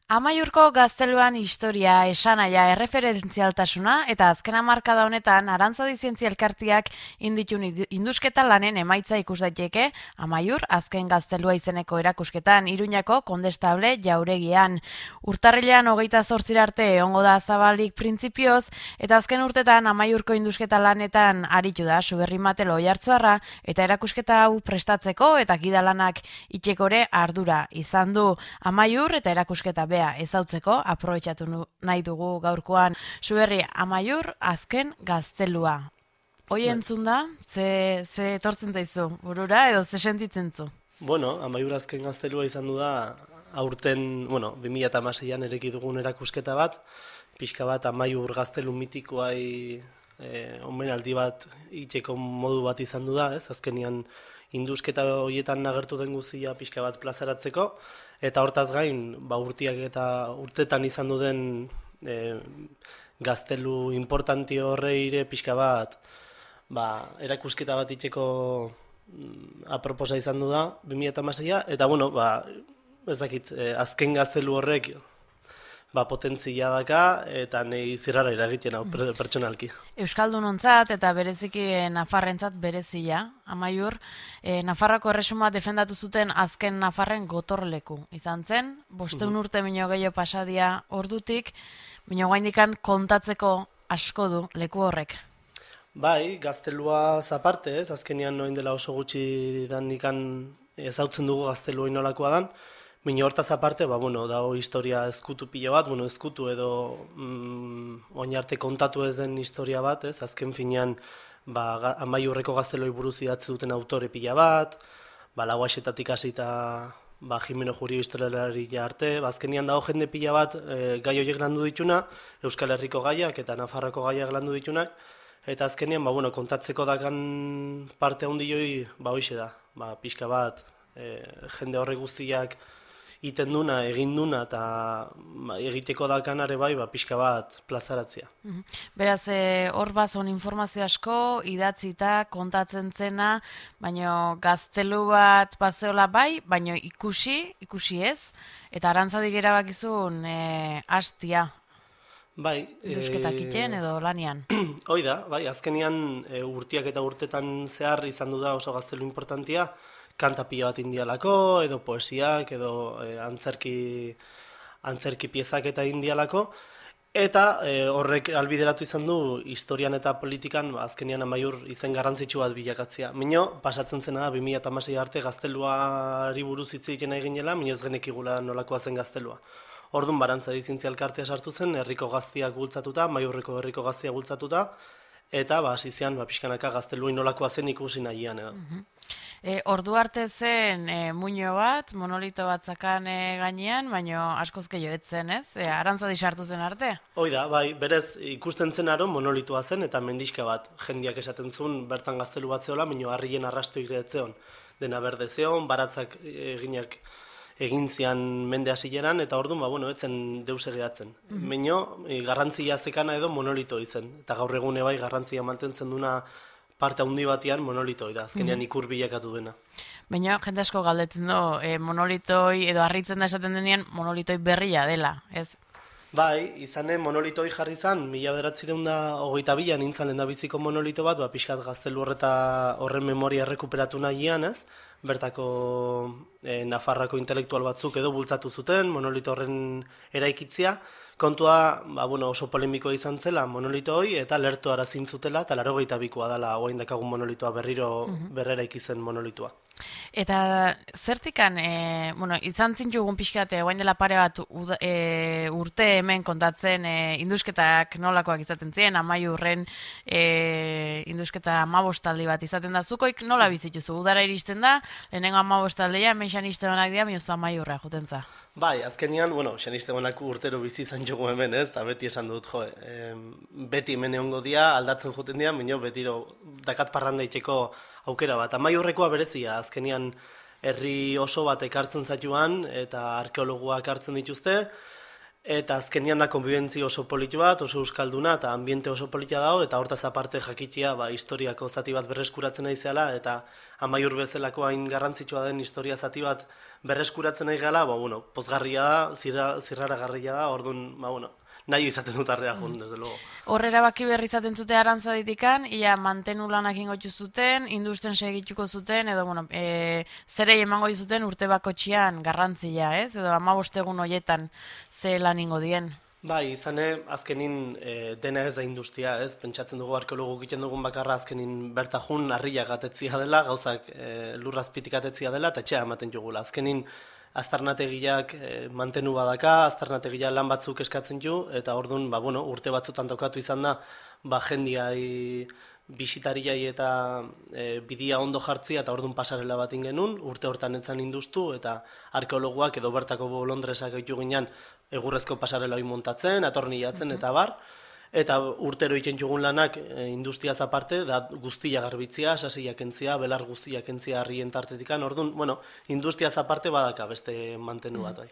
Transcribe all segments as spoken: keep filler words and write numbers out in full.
Amaiurko gazteluan historia, esanaia, erreferentzialtasuna eta azken hamarkada honetan Arantzadi Zientzia Elkarteak inditun indusketa lanen emaitza ikus daiteke Amaiur azken gaztelua izeneko erakusketan Iruñako Kondestable jauregian. Urtarrilean hogeita zortzira arte egongo da zabalik printzipioz eta azken urtetan Amaiurko indusketa lanetan aritu da Suberri Matelo Oiartzuarra eta erakusketa hau prestatzeko eta gidalanak itxekore ardura izan du. Amaiur eta erakusketa be ezautzeko aprobetxatu nahi dugu gaurkoan. Suberri, Amaiur azken gaztelua. Hoi entzun da, ze, ze etortzen zaizu burura edo ze sentitzen zu? Bueno, Amaiur azken gaztelua izan du da aurten, bueno, bi mila hamaseian ereki dugun erakusketa bat, pixka bat Amaiur gaztelu mitikoai eh, omenaldi bat itxeko modu bat izan du da, ez? Azkenian indusketa horietan agertu den guztia pixka bat plazaratzeko, eta hortaz gain, ba, urtiak eta urtetan izan du den e, gaztelu importanti horreire pixka bat ba, erakusketa bat itxeko mm, aproposa izan du da, bi mila hamaseia, eta bueno, ba, ez dakit, e, azken gaztelu horrek ba, potentzia daka, eta nahi zirrara iragiten hau pertsonalki. Euskaldunontzat eta bereziki Nafarrentzat berezia, Amaiur, e, Nafarroko erresuma defendatu zuten azken Nafarren gotorleku. Izan zen, bosteun Mhm. urte mino gehiago pasadia ordutik, mino gaindikan kontatzeko asko du leku horrek. Bai, gaztelua zaparte, ez, azkenean noin dela oso gutxi danikan ezautzen dugu gaztelua inolakoa dan, Mino hortaz aparte, ba, bueno, dago historia ezkutu pilo bat, bueno, ezkutu edo mm, oinarte kontatu ez den historia bat, ez, azken finean ba, Amaiurreko gazteloi buruz idatzi duten autore pila bat, ba, Lauaxetatik hasita ba, Jimeno Jurio historialari arte, ba, azkenian dago jende pila bat e, gai horiek landu dituna, Euskal Herriko gaiak eta Nafarroko gaiak landu ditunak, eta azkenian, ba, bueno, kontatzeko dakan parte handioi, ba, hoixe da, ba, pixka bat, e, jende horre guztiak iten duna, egin duna, eta ba, egiteko dakanare bai, ba, pixka bat plazaratzea. Beraz, e, hor bazon informazio asko, idatzita, kontatzen zena, baino gaztelu bat bazeola bai, baino ikusi, ikusi ez, eta Arantzadik erabakizun e, hastia. Bai. Indusketak e... iten edo lanian. Hoi da, bai, azkenian e, urtiak eta urtetan zehar izan du da oso gaztelu importantia, kanta pila bat indialako, edo poesiak, edo e, antzerki, antzerki piezak eta indialako, eta e, horrek albideratu izan du historian eta politikan ba, azkenian Amaiur izen garrantzitsu bat bilakatzea. Mino, pasatzen zena da, bi mila hamasei arte gazteluari buruz hitz egiten eginela, mino ez genekigula nolakoa zen gaztelua. Orduan Arantzadi Zientzia Elkartea sartu zen, herriko gaztiak bultzatuta, Amaiurreko herriko gaztiak bultzatuta, eta ba, hasizean ba, pixkanaka gaztelua inolakoa zen ikusi nahian edo. Mm-hmm. E, ordu arte zen e, muino bat, monolito bat zakan e, gainean, baino askoz gehiago etzen, ez? E, Arantzadi sartu zen arte? Hoi da, bai, berez ikusten zen aro monolitoa zen eta mendixka bat. Jendiak esaten zuen bertan gaztelu bat zeola, baino harrien arrasto igretzeon. Dena berde zeon, baratzak eginak egin zian mende hasileran eta orduan, ba, bueno, etzen deus egeatzen. Mm-hmm. Baino, e, garrantzia zekana edo monolito izen. Eta gaur egune bai garrantzia mantentzen duna parte handi batean monolitoi da, azkenean ikur bilakatu dena. Baina jende asko galdetzen du, e, monolitoi edo harritzen da esaten denean monolitoi berria dela, ez? Bai, izane monolitoi jarri zan, mila bederatzireun da hogeita bilan nintzen lehendabiziko monolito bat, ba, pixkat gaztelu horreta horren memoria errekuperatu nahian, ez? Bertako e, Nafarrako intelektual batzuk edo bultzatu zuten, monolito horren eraikitzia, kontua ba, bueno, oso polemikoa izan zela monolito hoi, eta lertu arazin zutela, eta laurogeita bikoa dela oain dakagun monolitoa berriro uh-huh. berrera ikizen monolitoa. Eta zertikan, e, bueno, izan zintzugun pixkate, oain dela pare bat uda, e, urte hemen kontatzen e, indusketak nolakoak izaten ziren, Amaiurren e, indusketa amabostaldi bat izaten da, zukoik nola bizituzu, udara iristen da, lehenengo amabostaldea, hemen xanisteonak dira, minuzu Amaiurra jotentza. Bai, azkenian, bueno, xanisteonak urtero bizi izan jogu hemen, ez, eta beti esan dut, jo, e, beti hemen egongo dia, aldatzen joten dira, minio, betiro dakat parranda itxeko aukera bat. Amaiurrekoa berezia, azkenian herri oso bat ekartzen zatuan, eta arkeologoak hartzen dituzte, Eta azkenian da konbibentzi oso politi bat, oso euskalduna eta ambiente oso politia dago, eta hortaz aparte jakitia ba, historiako zati bat berreskuratzen nahi zela, eta Amaiur bezalako hain garrantzitsua den historia zati bat berreskuratzen nahi gala, ba, bueno, pozgarria da, zirra, zirraragarria da, orduan, ba, bueno, nahi izaten dut arrea jun, desde luego. Horrera baki berri izaten zute Arantza ditikan, ia mantenu lanak ingotxu zuten, industen segituko zuten, edo, bueno, e, zerei emango izuten urte bakotxian garrantzia, ez? Edo amabostegun hoietan ze lan ingo dien. Bai, izane, azkenin e, dena ez da industria, ez? Pentsatzen dugu arkeologu egiten dugun bakarra azkenin bertajun harriak atetzia dela, gauzak e, lurrazpitik atetzia dela, eta etxea ematen jugula. Azkenin aztarnategiak e, mantenu badaka, aztarnategia lan batzuk eskatzen du, eta orduan, ba, bueno, urte batzutan tokatu izan da, ba, jendiai bisitariai eta e, bidia ondo jartzia, eta orduan pasarela bat genuen, urte hortan etzan industu, eta arkeologuak edo bertako bolondresak egitu ginean, egurrezko pasarela hori montatzen, atornilatzen, eta bar, eta urtero egiten jugun lanak e, industriaz aparte, da guztia garbitzia, sasiak entzia, belar guztiak entzia harrien tartetikan, orduan, bueno, industriaz aparte badaka beste mantenu bat. Bai.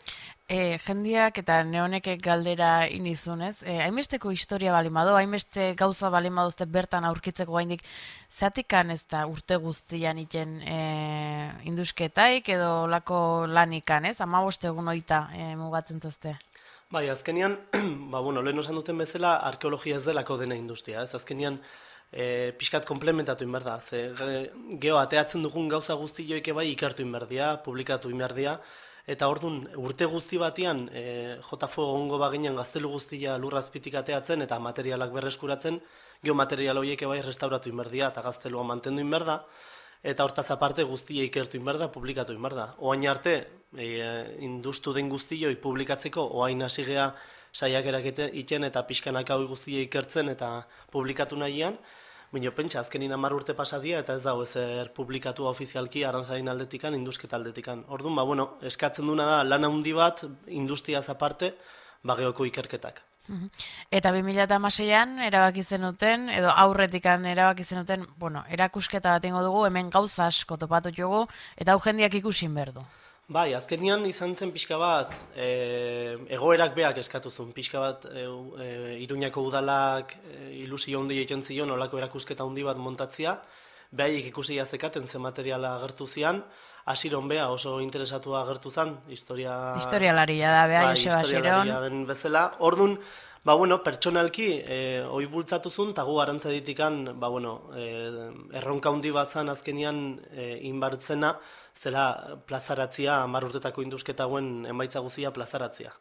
E, jendiak eta neonek galdera inizun, ez? E, hainbesteko historia balimado, hainbeste gauza balimadozte bertan aurkitzeko gaindik, zeatikan ez da urte guztian iten e, indusketaik edo lako lanikan, ez? Amaboste egun oita e, mugatzen zazte. Bai, azkenian, ba, bueno, lehen osan duten bezala, arkeologia ez delako dena industria, ez? Azkenian, e, pixkat komplementatu inberda, ze geho, ateatzen dugun gauza guzti joike bai ikertu inberdia, publikatu inberdia, eta orduan urte guzti batian, e, J F O ongo baginan gaztelu guztia lurrazpitik ateatzen eta materialak berreskuratzen, geho material horiek bai restauratu inberdia eta gaztelua mantendu inberda, eta hortaz aparte guztia ikertu inberda, publikatu inberda. Oain arte, e, industu den guztioi publikatzeko, oain hasi gea saiakerak iten eta pixkanak hau guztia ikertzen eta publikatu nahian, baina pentsa, azkenin hamar urte pasadia eta ez dago ezer publikatu ofizialki Arantzaren aldetikan, indusketa aldetikan. Orduan, ba, bueno, eskatzen duna da lan handi bat, industriaz aparte, bageoko ikerketak. Eta bi mila hamaseian erabaki zenuten, edo aurretikan erabaki zenuten, bueno, erakusketa bat ingo dugu, hemen gauza asko topatu dugu, eta hau jendiak ikusin berdu. Bai, azkenian izan zen pixka bat, e, egoerak beak eskatuzun, pixka bat e, e, Iruñako udalak e, ilusio handi egiten zion, olako erakusketa handi bat montatzia, behaiek ikusi jazekaten zen materiala agertu zian, Asiron bea oso interesatua agertu zen, historia... Historialaria da, beha, bai, Joseba Asiron. Historialaria den bezala. Orduan, ba, bueno, pertsonalki, e, oi bultzatu zuen, eta gu Arantza ditikan, ba, bueno, e, erronka handi bat zan azkenian e, inbartzena, zela plazaratzia, hamar urtetako indusketa hauen emaitza guzia plazaratzia.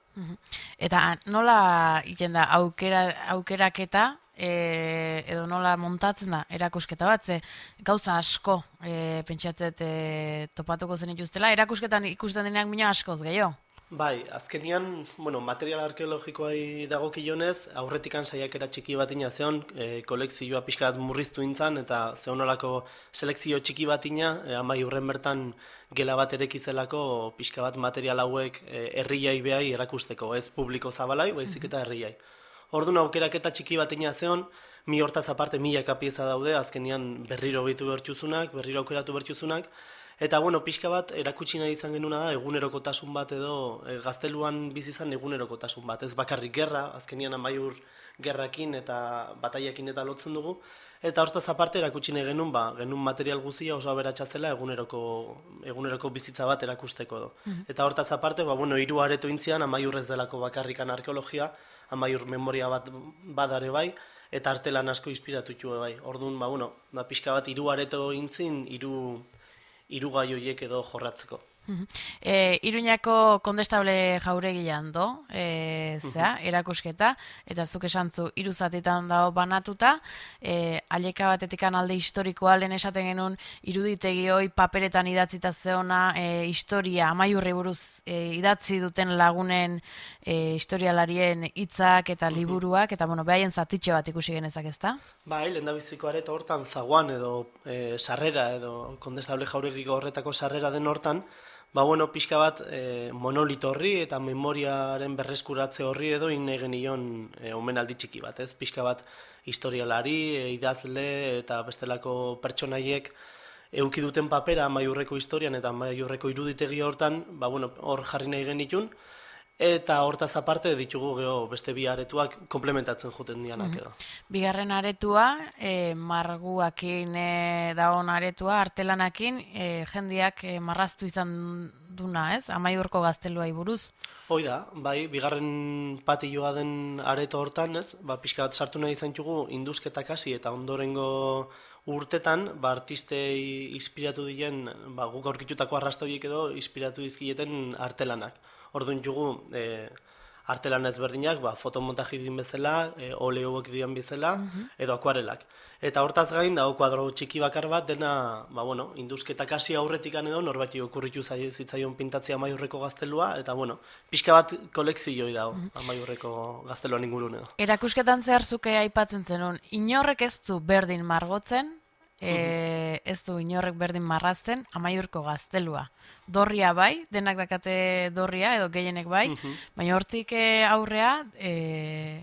Eta nola iten da aukera, aukeraketa, e, edo nola montatzen da erakusketa bat, ze gauza asko e, pentsatzet e, topatuko zen ituztela, erakusketan ikusten denean bina askoz gehiago. Bai, azkenian, bueno, material arkeologikoai dagokionez, aurretikan saiakera txiki bat ina zeon, e, kolekzioa pixka bat murriztu intzan, eta zeonolako selekzio txiki bat ina, e, amai urren bertan gela bat erekizelako pixka bat material hauek e, herriai behai erakusteko, ez publiko zabalai, baizik eta herriai. Orduan aukeraketa txiki bat ina zeon, mi hortaz aparte milaka pieza daude, azkenian berriro behitu bertxuzunak, berriro aukeratu bertxuzunak, eta, bueno, pixka bat, erakutsi nahi izan genuna da, egunerokotasun bat edo, e, gazteluan bizizan egunerokotasun bat. Ez bakarrik gerra, azkenian amaiur gerrakin eta bataiakin eta lotzen dugu. Eta hortaz aparte erakutsi nahi genuen, ba, genuen material guzia oso aberatsatzela eguneroko, eguneroko bizitza bat erakusteko edo. Mm-hmm. Eta hortaz aparte, ba, bueno, hiru areto intzian, amaiur ez delako bakarrikan arkeologia, amaiur memoria bat badare bai, eta artelan asko inspiratu bai. Orduan, ba, bueno, ba, pixka bat hiru areto intzin, hiru hiru gai horiek edo jorratzeko. E, Iruñako kondestable jauregian do, e, zera, erakusketa, eta zuk esantzu hiru zatitan dago banatuta, e, aleka batetikan alde historikoa lehen esaten genuen iruditegi hoi paperetan idatzita zeona, e, historia, amaiurri buruz e, idatzi duten lagunen e, historialarien hitzak eta liburuak, eta bueno, behaien zatitxe bat ikusi genezak, ezta? Bai, lehendabiziko areto hortan zaguan edo e, sarrera edo kondestable jauregiko horretako sarrera den hortan, ba, bueno, pixka bat e, monolito horri eta memoriaren berreskuratze horri edo inne genion e, omenaldi txiki bat, ez? Pixka bat historialari, e, idazle eta bestelako pertsonaiek euki duten papera amaiurreko historian eta amaiurreko iruditegi hortan, ba, bueno, hor jarri nahi genitun, eta hortaz aparte ditugu geho beste bi aretuak komplementatzen joten dianak edo. Bigarren aretua, e, marguakin e, daon aretua, artelanakin, e, jendiak e, marraztu izan duna, ez? Amaiurko gazteluai buruz. Hoi da, bai, bigarren patilloa den areto hortan, ez? Ba, pixka bat sartu nahi izan txugu induzketak hasi eta ondorengo urtetan, ba, artistei inspiratu diren, ba, guk aurkitutako arrastoiek edo inspiratu dizkieten artelanak. Orduan jugu, e, artelan ezberdinak, ba, fotomontaji din bezala, e, oleuak dian bezala, edo akuarelak. Eta hortaz gain, dago kuadro txiki bakar bat, dena, ba, bueno, induzketak hasi aurretikan edo, norbati okurritu zitzaion pintatzea Amaiurreko gaztelua, eta, bueno, pixka bat kolekzioi dago, Amaiurreko gazteluan ingurun edo. Erakusketan zehar zuke aipatzen zenun, inorrek ez du berdin margotzen, E, ez du inorrek berdin marrazten Amaiurko gaztelua. Dorria bai, denak dakate dorria edo gehienek bai, baina hortik aurrea e,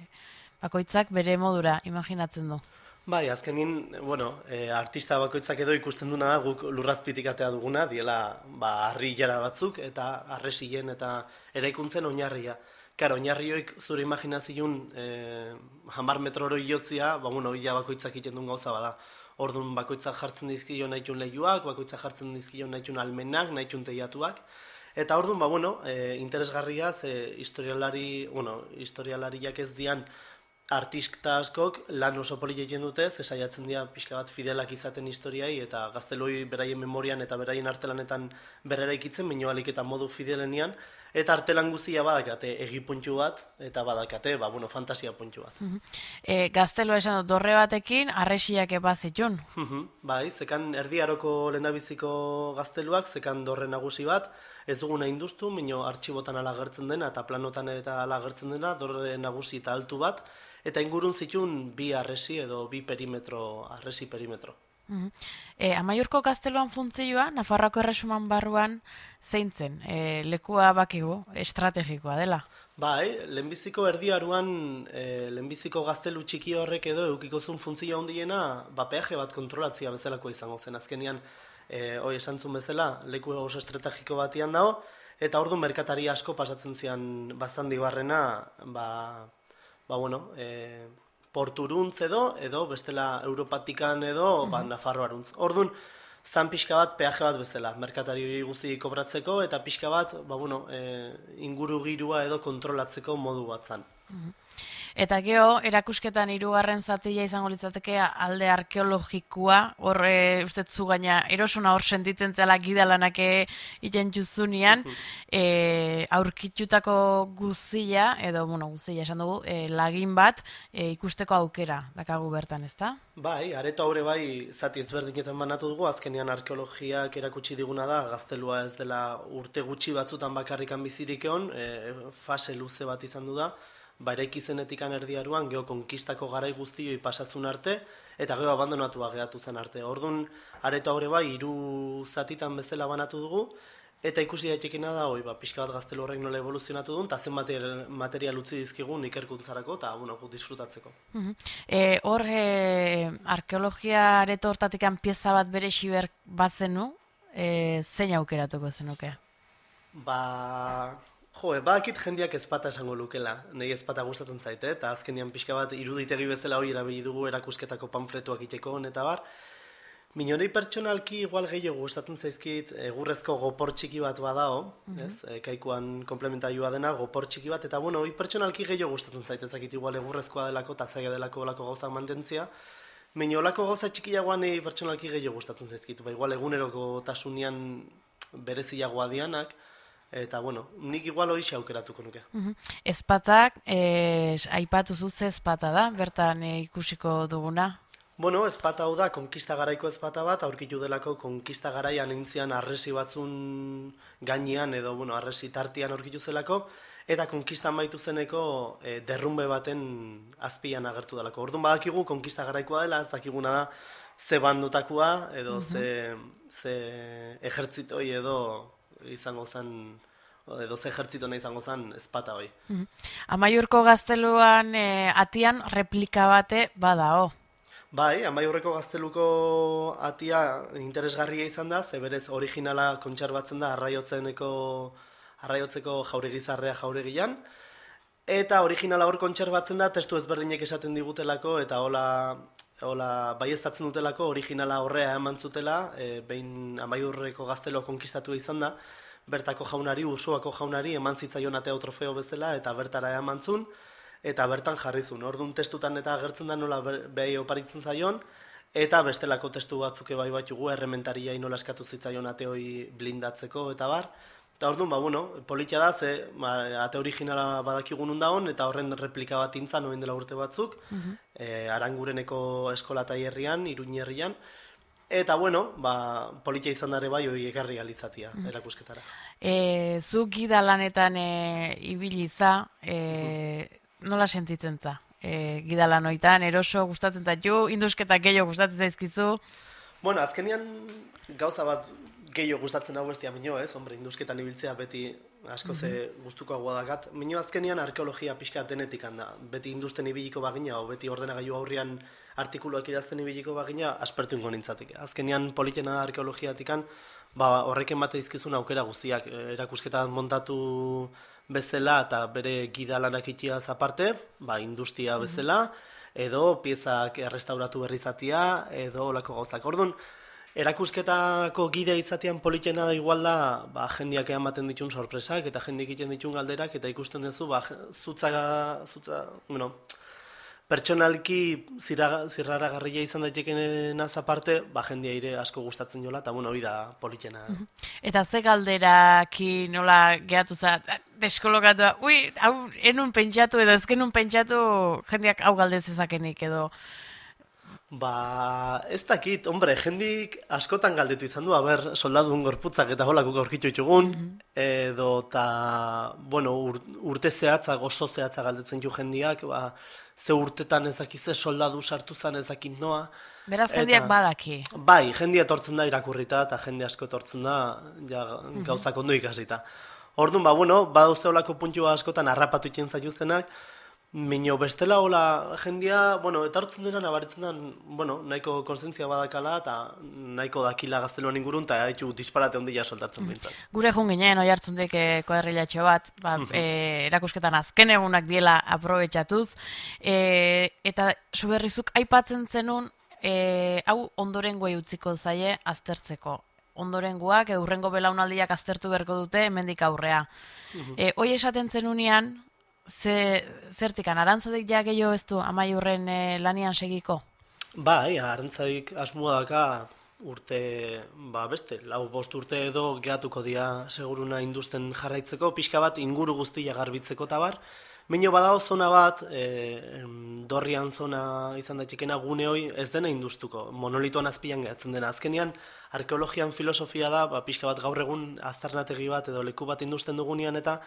bakoitzak bere modura imaginatzen du. Bai, azkenin, bueno, e, artista bakoitzak edo ikusten duna da guk lurrazpitik atea duguna, diela ba, harri jara batzuk eta arresien eta eraikuntzen oinarria. Karo, oinarrioik zure imaginazion e, hamar metroro iotzia, ba, bueno, ia bakoitzak egiten duen gauza bada. Orduan bakoitzak jartzen dizkio nahitun lehiuak, bakoitzak jartzen dizkio nahitun almenak, nahitun teiatuak. Eta orduan, ba, bueno, e, interesgarria, ze historialari, bueno, historialariak ez dian artista askok lan oso poli egiten dute, ze saiatzen dira pixka bat fidelak izaten historiai, eta gazteloi beraien memorian eta beraien artelanetan berrera ikitzen, baino alik eta modu fidelenian, eta artelan guztia badakate egipuntu bat, eta badakate, ba, bueno, fantasia puntu bat. E, gaztelua esan dut, dorre batekin, arresiak eba zitun. Bai, zekan erdiaroko lehendabiziko gazteluak, zekan dorre nagusi bat, ez duguna induztu, minio artxibotan alagertzen dena, eta planotan eta alagertzen dena, dorre nagusi eta altu bat, eta ingurun zitun bi arresi edo bi perimetro, arresi perimetro. E, Amaiurko gazteluan funtzioa, Nafarroako erresuman barruan zein zen, e, lekua bakigu, estrategikoa dela. Bai, lehenbiziko erdiaruan, e, lehenbiziko gaztelu txiki horrek edo eukikozun funtzioa hondiena, ba, peaje bat kontrolatzia bezalakoa izango zen. Azkenian, e, hoi esan zuen bezala, leku oso estrategiko batian dago, eta orduan merkatari asko pasatzen zian bastandi barrena, ba, ba bueno, e, porturuntz edo, edo bestela Europatikan edo, ba, Nafarroaruntz. Orduan, zan pixka bat peaje bat bezala, merkatari guzti kobratzeko, eta pixka bat, ba, bueno, e, inguru girua edo kontrolatzeko modu bat zan. Eta geho, erakusketan hirugarren zatia izango litzateke alde arkeologikoa, horre uste zu gaina erosuna hor sentitzen zela gidalanak egiten juzunean, e, aurkitutako guzia, edo, bueno, guzia esan dugu, e, lagin bat e, ikusteko aukera dakagu bertan, ezta? Bai, areto haure bai zati ezberdinetan banatu dugu, azkenean arkeologiak erakutsi diguna da, gaztelua ez dela urte gutxi batzutan bakarrikan bizirik egon, e, fase luze bat izan du da, ba, eraiki zenetikan erdiaruan geho konkistako garai guztioi pasazun arte, eta geho abandonatua gehatu zen arte. Orduan, areto haure bai, hiru zatitan bezala banatu dugu, eta ikusi daitekena da, oi, ba, pixka bat gaztelu horrek nola evoluzionatu duen, eta zen material, material utzi dizkigun ikerkuntzarako, eta bueno, disfrutatzeko. E, hor, e, arkeologia areto hortatikan pieza bat bere xiber bazenu, e, zein aukeratuko zenuke? Ba... Jo, badakit jendeak ezpata esango lukela, nahi ezpata gustatzen zaite, eta azkenean pixka bat iruditegi bezala hori erabili dugu erakusketako panfletuak iteko eta bar. Minorei pertsonalki igual gehiago gustatzen zaizkit egurrezko gopor txiki bat badao, ez? E, kaikuan komplementaioa dena gopor txiki bat, eta bueno, hori pertsonalki gehiago gustatzen zaite, ezakit igual egurrezkoa delako eta zaila delako olako gauzak mantentzia. Baina olako gauza txikiagoan nahi pertsonalki gehiago gustatzen zaizkit, ba, igual eguneroko tasunian bereziagoa dianak, eta, bueno, nik igual hori aukeratuko nuke. Ezpatak, e, aipatu zuze ezpata da, bertan e, ikusiko duguna? Bueno, ezpata hau da, konkista garaiko ezpata bat, aurkitu delako konkista garaian eintzian arresi batzun gainean, edo, bueno, arresi tartian aurkitu zelako, eta konkistan baitu zeneko e, derrumbe baten azpian agertu delako. Orduan badakigu konkista garaikoa dela, ez dakiguna da, ze bandotakoa, edo ze, ze ejertzitoi edo izango zen, edo ze ejertzitona izango zen ezpata hoi. Amaiurko gazteluan e, atian replika bate badao. Bai, Amaiurreko gazteluko atia interesgarria izan da, ze berez originala kontserbatzen da arraiotzeneko arraiotzeko jauregizarrea jauregian, eta originala hor kontserbatzen da, testu ezberdinek esaten digutelako, eta hola, hola baieztatzen dutelako, originala horrea eman zutela, e, behin Amaiurreko gazteloa konkistatu izan da, bertako jaunari, Ursuako jaunari, eman zitzaion ateo trofeo bezala, eta bertara eman zun, eta bertan jarrizun. Orduan testutan eta agertzen da nola behi oparitzen zaion, eta bestelako testu batzuk bai batugu, errementariai nola eskatu zitzaion ateoi blindatzeko, eta bar. Eta orduan, ba, bueno, politia da, ze ba, ate originala badakigun undaon, eta horren replika bat intzan, oin dela urte batzuk, uh-huh. e, Arangureneko eskola taierrian, Iruñe herrian, eta, bueno, ba, politia izan dare bai, hori egarri alizatia, uh-huh. erakusketara. E, zu gida lanetan e, ibiliza, e, uh-huh. nola sentitzen za? E, gida lanoitan, eroso, gustatzen zaitu, indusketak gehiago gustatzen zaizkizu? Bueno, azkenian gauza bat gehiago gustatzen hau bestia minio, ez? Hombre, indusketan ibiltzea beti asko ze mm-hmm. gustuko dakat. Minio azkenian arkeologia pixka denetik handa. Beti industen ibiliko bagina, o beti ordenagailu aurrian artikuluak idazten ibiliko bagina, aspertu ingo nintzatik. Azkenian politena arkeologiatikan, ba, horreken bate izkizun aukera guztiak. Erakusketan montatu bezala eta bere gida lanak itiaz aparte, ba, industia bezala, edo piezak errestauratu berrizatia, edo olako gauzak. Orduan, erakusketako gidea izatean politena da igual da, ba, jendiak ematen ditun sorpresak, eta jendiak egiten ditun galderak, eta ikusten duzu, ba, zutza, zutza, bueno, pertsonalki zirraragarria izan daitekenaz aparte, ba, jendia ire asko gustatzen jola, eta bueno, hori da politena. Eta ze galderaki nola gehatu za, deskolokatua, ui, hau enun pentsatu edo ezkenun pentsatu jendiak hau galdezezakenik edo... Ba, ez dakit, hombre, jendik askotan galdetu izan du, haber, soldadun gorputzak eta holako aurkitu ditugun, mm-hmm. edo, eta, bueno, ur, urte zehatzak, oso zehatzak galdetzen ju jendiak, ba, ze urtetan ezakize soldadu sartu zan ezakit noa. Beraz, jendiak eta, badaki. Bai, jendia etortzen da irakurrita, eta jende asko etortzen da, ja, mm-hmm. gauzak ondo ikasita. Orduan, ba, bueno, badauzte holako puntua askotan harrapatu itzen zaituztenak, Mino bestela hola jendia, bueno, etortzen dira nabaritzen da, bueno, nahiko konsentzia badakala eta nahiko dakila gazteluan ingurun eta haitu disparate ondila soltatzen bintzat. Gure jun ginen, oi hartzundik eh, koderrilatxo bat, ba, eh, erakusketan azken egunak diela aprobetxatuz, eh, eta suberrizuk aipatzen zenun, eh, hau ondorengoei utziko zaie aztertzeko. Ondorengoak, edo urrengo belaunaldiak aztertu beharko dute, hemendik aurrea. eh, hoi esaten zenunian, Ze, zertikan, arantzadik ja gehiago ez du Amaiurren e, lanian segiko? Bai, arantzadik asmoa daka urte, ba beste, lau bost urte edo gehatuko dia seguruna industen jarraitzeko, pixka bat inguru guztia garbitzeko tabar. Mino badao zona bat, e, dorrian zona izan daitekena gune hoi ez dena industuko, monolitoan azpian gehatzen dena. Azkenian, arkeologian filosofia da, ba, pixka bat gaur egun aztarnategi bat edo leku bat industen dugunean eta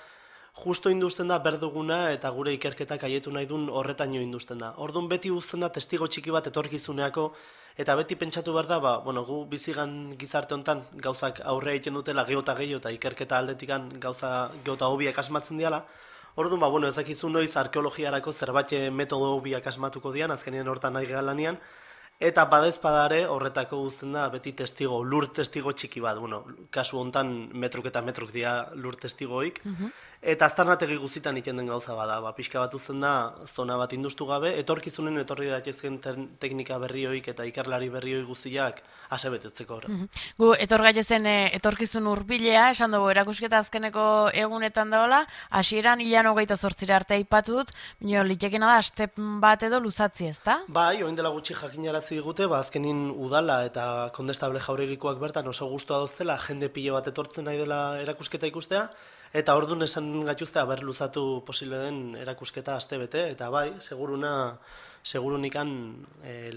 justo industen da berduguna eta gure ikerketak aietu nahi duen horretaino industen da. Orduan beti uzten da testigo txiki bat etorkizuneako eta beti pentsatu behar da, ba, bueno, gu bizigan gizarte honetan gauzak aurrea egiten dutela geota gehiago eta ikerketa aldetikan gauza geota hobiak asmatzen diala. Orduan, ba, bueno, ezakizu noiz arkeologiarako zerbait metodo hobiak asmatuko dian, azkenean hortan nahi gehalanean, eta badezpadare horretako guztien da beti testigo, lur testigo txiki bat, bueno, kasu hontan metruk eta metruk dira lur testigoik, uh-huh. Eta aztarnategi guztitan iten den gauza bada, ba, pixka bat uzten da zona bat industu gabe, etorkizunen etorri daitezken teknika berrioik eta ikerlari berrioi guztiak asebetetzeko horre. Uh-huh. Gu, etor gaitezen e, etorkizun hurbilea, esan dugu erakusketa azkeneko egunetan daola, hasieran hilan hogeita zortzira arte aipatu dut, bino, litekena da, step bat edo luzatzi ez da? Bai, oin dela gutxi jakinarazi digute, ba, azkenin udala eta kondestable jauregikoak bertan oso gustua doztela, jende pile bat etortzen nahi dela erakusketa ikustea, eta orduan esan gatuzte haber luzatu posible den erakusketa aste bete, eta bai, seguruna, segurunikan e,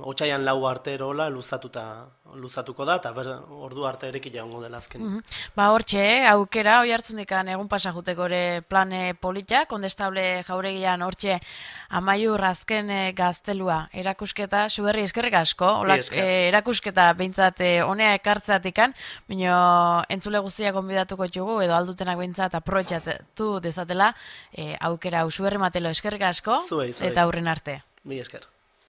otsaian lau arte erola luzatuta, luzatuko da, eta ber, ordu arte ereki jaungo dela azken. Mm-hmm. Ba, hortxe, aukera, hoi hartzundikan egun pasajuteko ere plane politia, kondestable jauregian hortxe Amaiur azken gaztelua erakusketa, suberri eskerrik asko, olak, e, erakusketa behintzat e, honea ekartzatikan, bino entzule guztiak konbidatuko txugu, edo aldutenak behintzat aprobetxatu dezatela, e, aukera, suberri matelo eskerrik asko, zuei, zuei. Eta aurren arte. Mi esker.